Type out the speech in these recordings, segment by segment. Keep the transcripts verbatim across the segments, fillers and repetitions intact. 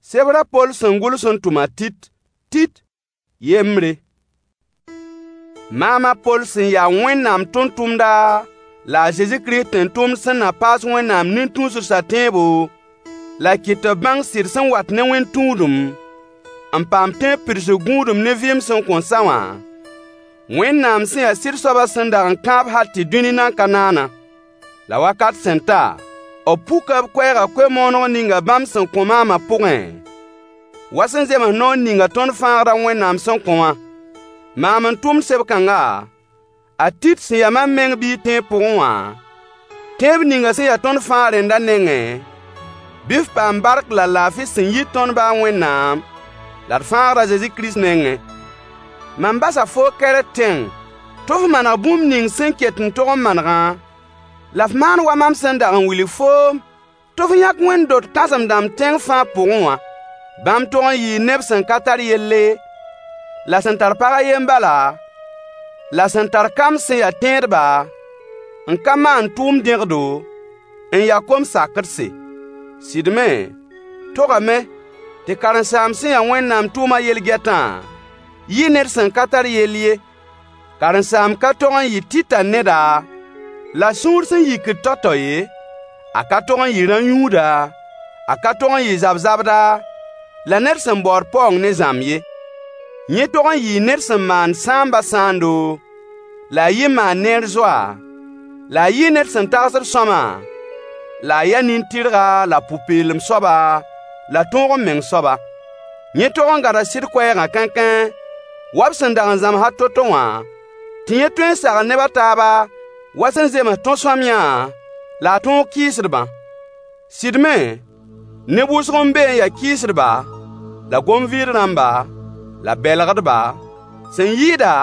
Sebr a Poll sẽn gʋls n tʋm a Tit. Tit yembre. Maam a Poll sẽn ya Wẽnnaam tʋmtʋmda la a Zezi Kirist tẽn-tʋmd sẽn na paas Wẽnnaam nin-tũusdsã tẽebo, la kɩt tɩ b bãng sɩd sẽn wat ne wẽn-tũudem, n paam tẽeb pidsg gũudum ne vɩɩm sẽn kõn sa wã, Wẽnnaam sẽn ya sɩd soabã sẽn dag n kãab hal tɩ dũni nan ka naanã. La wakat sẽn ta, b puka b koɛɛgã koe-mooneg ninga bãmb sẽn kõ maamã pʋgẽ, wa sẽn zems noor ninga tõnd Fãagdã Wẽnnaam sẽn kõ wã. Maam n tʋmd seb-kãnga, a Tit sẽn ya mam meng biig tẽeb pʋgẽ wã, tẽeb ninga sẽn ya tõnd fãa rẽndã nengẽ, bɩ f paam bark la laafɩ sẽn yit tõnd ba a Wẽnnaam la d Fãagd a Zezi Kirist nengẽ. Mam basa foo Kɛrɛt tẽng tɩ f maneg bũmb ning sẽn ket n tog n manegã, la f maan wa mam sẽn dag n wilg foom tɩ f yãk wẽnd-dot kãsem-dãmb tẽng fãa pʋgẽ wã. Bãmb tog n yɩɩ neb sẽn ka tar yelle, la sẽn tar pag a yen bala, la sẽn tar kamb sẽn ya tẽedba, n ka maan tʋʋm dẽgdo, n ya kom-sakdse. Sɩd me, togame tɩ karen-saamb sẽn ya Wẽnnaam tʋʋmã yel-gɛtã yɩ ned sẽn ka tar yell ye. Karen-saamb ka tog n yɩ tɩta neda la sũur sẽn yikd tao-tao ye, a ka tog n yɩ rã-yũuda, a ka tog n yɩ zab-zabda, la ned sẽn baood paoong ne zãmb ye. Yẽ tog n yɩɩ ned sẽn maand sãambã sãando, la a yɩ maan-neer zoa, la a yɩ ned sẽn tagsd sõama, la a ya nin-tɩrga la pʋ-peelem soaba, la tõog-m-meng soaba. Yẽ tog n gãda sɩd koɛɛgã kãenkãe wa b sẽn dag n zãms a to-to wã, tɩ yẽ tõe n sagl neb a taaba wa sẽn zems tõ-sõamyã la a tõog kɩɩsdbã. Sɩd me, neb wʋsg n be n ya kɩɩsdba, la gom-vɩɩd rãmba, la bɛlgdba, sẽn yɩɩda,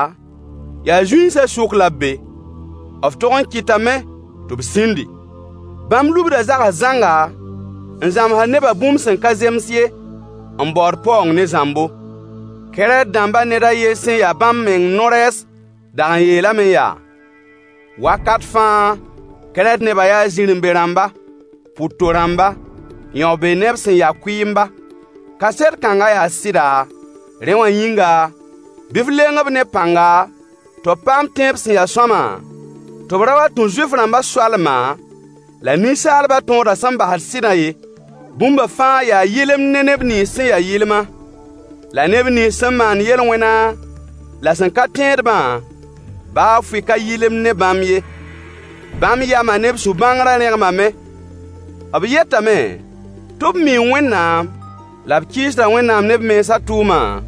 yaa zũinsã sʋk la b be. B tog n kɩtame tɩ b sĩndi. Bãmb lubda zags zãnga n zãmsd nebã bũmb sẽn ka zems ye, n baood paoong ne zãmbo. Kɛrɛt dãmbã ned a yen sẽn ya bãmb meng no-rɛɛs dag n yeelame yaa: Wakat fãa Kɛrɛt nebã yaa zirẽ-be-rãmba, pʋ-to-rãmba, yão-be neb sẽn ya kʋɩɩmba. Kaset kãngã yaa sɩda, rẽ wã yĩnga, bɩ f leng-b ne pãnga tɩ b paam tẽeb sẽn ya sõama, tɩ b ra wa tũ Zuif-rãmbã soalma la ninsaalbã tõodã sẽn basd sɩdã ye. Bũmba fãa yaa yɩlemd ne neb nins sẽn ya yɩlma, la neb nins sẽn maand yel-wẽna la sẽn ka tẽedbã, baa fʋɩ ka yɩlemd ne bãmb ye. Bãmb yamã ne b sũ-bãngrã rẽgmame. B yetame tɩ b mii Wẽnnaam, la b kɩɩsda Wẽnnaam ne b mensã tʋʋma,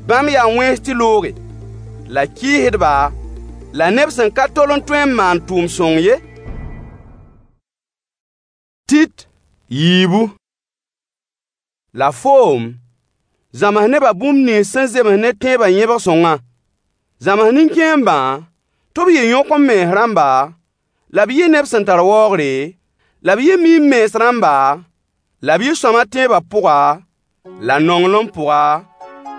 bãmb yaa wẽns tɩ looge, la kɩɩsdba, la neb sẽn ka tol n tõe n maan tʋʋm-sõng ye. Tit yiibu. La foom, zãms nebã bũmb nins sẽn zems ne tẽebã yẽbg sõngã. Zãms nin-kẽembã tɩ b yɩ yõk-m-mens rãmba, la b yɩ neb sẽn tar waoogre, la b yɩ miim-mens rãmba, la b yɩ sõama tẽebã pʋga, la nonglem pʋga,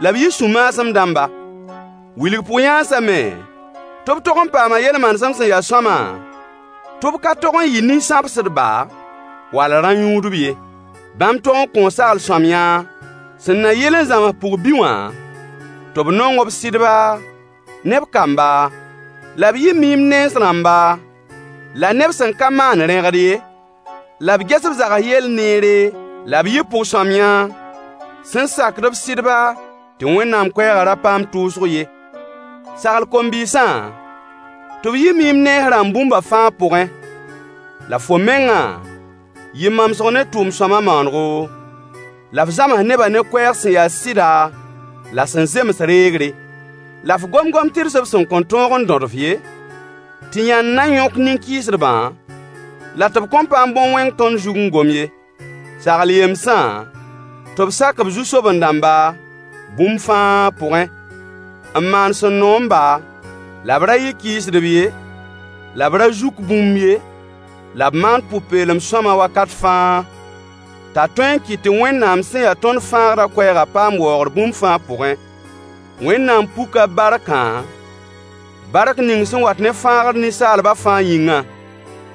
la b yɩ sũ-maasem dãmba. Wilg pʋg-yãansã me tɩ b tog n paama yel-manesem sẽn ya sõama, tɩ b ka tog n yɩ nin-sãbsdba wall rã-yũudb ye. Bãmb tog n kõo sagl-sõamyã sẽn na yɩl n zãms pʋg-bi wã tɩ b nong b sɩdba ne b kamba, la b yɩ miim nens rãmba, la neb sẽn ka maan rẽgd ye, la b ges b zags yell neere, la b yɩ pʋg-sõamyã sẽn sakd b sɩdba tɩ Wẽnnaam koɛɛgã ra paam tʋʋsg ye. Sagl kom-bɩɩsã tɩ b yɩ miim nens rãmb bũmba fãa pʋgẽ. La fo mengã, yɩ mamsg ne tʋʋm-sõama maanego, la f zãms nebã ne koɛɛg sẽn ya sɩda la sẽn zems reegre. La f gom gom-tɩrs b sẽn kõn tõog n dõd-f ye, tɩ yãnd na yõk nin-kɩɩsdbã, la tɩ b kõn paam bõn-wẽng tõnd zug n gom ye. Sagl yemsã tɩ b sak b zu-soben-dãmba bũmb fãa pʋgẽ, n maan sẽn noom-ba, la b ra yɩ kɩɩsdb ye, la b ra zuk bũmb ye, la b maan pʋ-peelem sõama wakat fãa, t'a tõe n kɩt tɩ Wẽnnaam sẽn ya tõnd Fãagrã koɛɛgã paam waoogr bũmb fãa pʋgẽ. Wẽnnaam puka b barkã, bark ning sẽn wat ne fãagr ninsaalbã fãa yĩngã.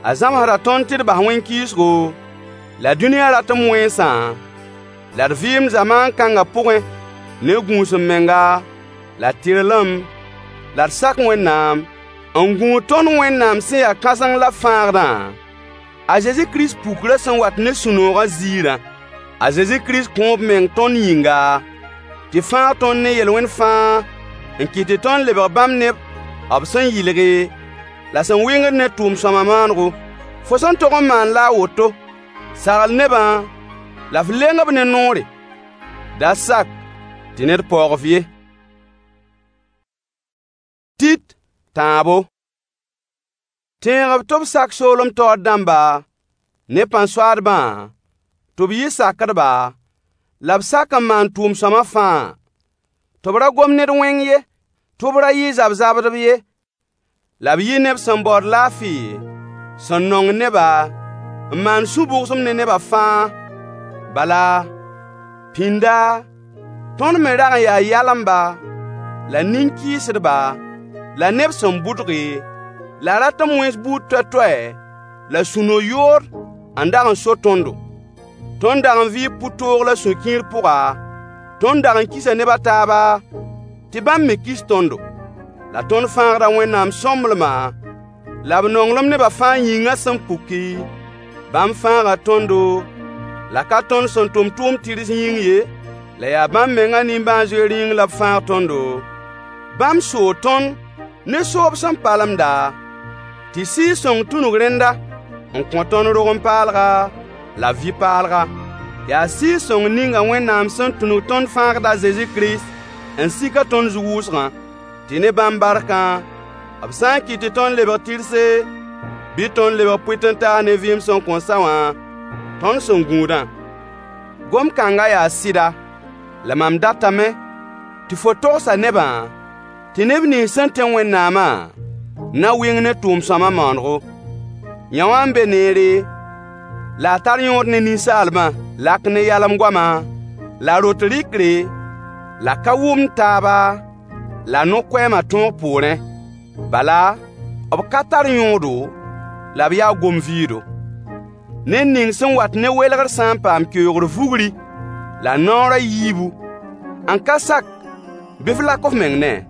A zãmsda tõnd tɩ d bas wẽn-kɩɩsgo, la dũniyã ratem wẽnsã, la d vɩɩmd zamaan kãngã pʋgẽ ne gũus-m-menga, la tɩrlem, la d sak Wẽnnaam, n gũud tõnd Wẽnnaam sẽn ya kãseng la Fãagdã, a Zezi Kirist pukrã sẽn wat ne sũ-noogã ziirã. A Zezi Kirist kõo b meng tõnd yĩnga, tɩ fãag tõnd ne yel-wẽn fãa n kɩt tɩ tõnd lebg bãmb neb b sẽn yɩlge, la sẽn wɩngd ne tʋʋm-sõama maanego. Fo sẽn tog n maan la a woto: Sagl nebã la f leng-b ne noore. Da sak tɩ ned paoog-f ye. Tit tãabo. Tẽeg-b tɩ b sak soolem taoor dãmba ne pãn-soaadbã, tɩ b yɩ sakdba, la b sak n maan tʋʋm-sõama fãa. Tɩ b ra gom ned wẽng ye, tɩ b ra yɩ zab-zabdb ye, la b yɩ neb sẽn baood laafɩ, sẽn nongd neba, n maan sũ-bʋgsem ne neba fãa. Bala, pĩnda, tõnd me rag n yaa yalemba, la nin-kɩɩsdba, la neb sẽn bʋdge, la ratem wẽns buud toɛ-toɛ la sũ-no-yood n dag n so tõndo. Tõnd dag n vɩɩ pʋ-toog la sũ-kiir pʋga, tõnd dag n kisa neb a taaba, tɩ bãmb me kis tõndo. La tõnd Fãagda Wẽnnaam sõmblema la b nonglem neba fãa yĩngã sẽn puki, bãmb fãaga tõndo, la ka tõnd sẽn tʋm tʋʋm-tɩrs yĩng ye, la yaa bãmb mengã nimbãan-zoeer yĩng la b fãag tõndo. Bãmb soo tõnd ne soob sẽn palemda, tɩ Sɩɩg-sõng tũnug rẽnda n kõ tõnd rogem-paalga la vɩ-paalga. Yaa Sɩɩg-sõng ninga Wẽnnaam sẽn tũnug tõnd Fãagd a Zezi Kirist n sik-a tõnd zug wʋsgã, tɩ ne bãmb barkã, b sã n kɩt tɩ tõnd lebg tɩrse, bɩ tõnd lebg pʋɩt-n-taas ne vɩɩm sẽn kõn sa wã, tõnd sẽn gũudã. Gom-kãngã yaa sɩda, la mam datame tɩ fo togsa nebã tɩ neb nins sẽn tẽ Wẽnnaamã na wɩng ne tʋʋm-sõama maanego. Yão-wã n be neere, la a tar yõod ne ninsaalbã, lak ne yalem-goama, la rot rɩkre, la ka wʋmd taaba, la no-koɛɛmã tõog poorẽ. Bala, b ka tar yõodo, la b yaa gom-vɩɩdo. Ned ning sẽn wat ne welgr sã n paam keoogr vugri la naoor a yiibu, n ka sak, bɩ f lak f meng ne-a.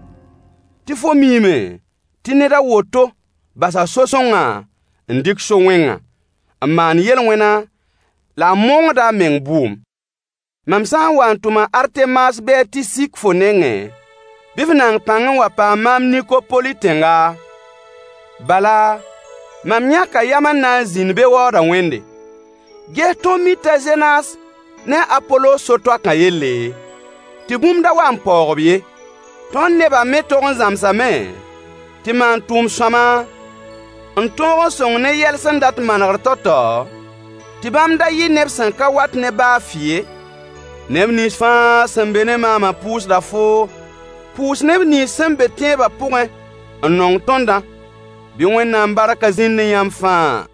Tɩ fo miime tɩ ned a woto basa so-sõngã n dɩk so-wẽngã, n maan yel-wẽna la a mongda a meng bʋʋm. Mam sã n wa n tʋm a Artemas bɩ a Tisik fo nengẽ, bɩ f naang pãng n wa paam maam Nikopoli tẽnga, bala, mam yãka yam n na n zĩnd be waooda wẽnde. Ges tõnd mi t'a Zenas ne a Apolos so-toakã yelle, tɩ bũmb da wa n paoog-b ye. Tõnd nebã me tog n zãmsame tɩ maan tʋʋm-sõama n tõog n sõng ne yɛl sẽn dat manegr tao-tao, tɩ bãmb da yɩ neb sẽn ka wat ne baa fɩ ye. Neb nins fãa sẽn be ne maamã pʋʋsda foo. Pʋʋs neb nins sẽn be tẽebã pʋgẽ n nong tõndã. Bɩ Wẽnnaam barkã zĩnd ne yãmb fãa.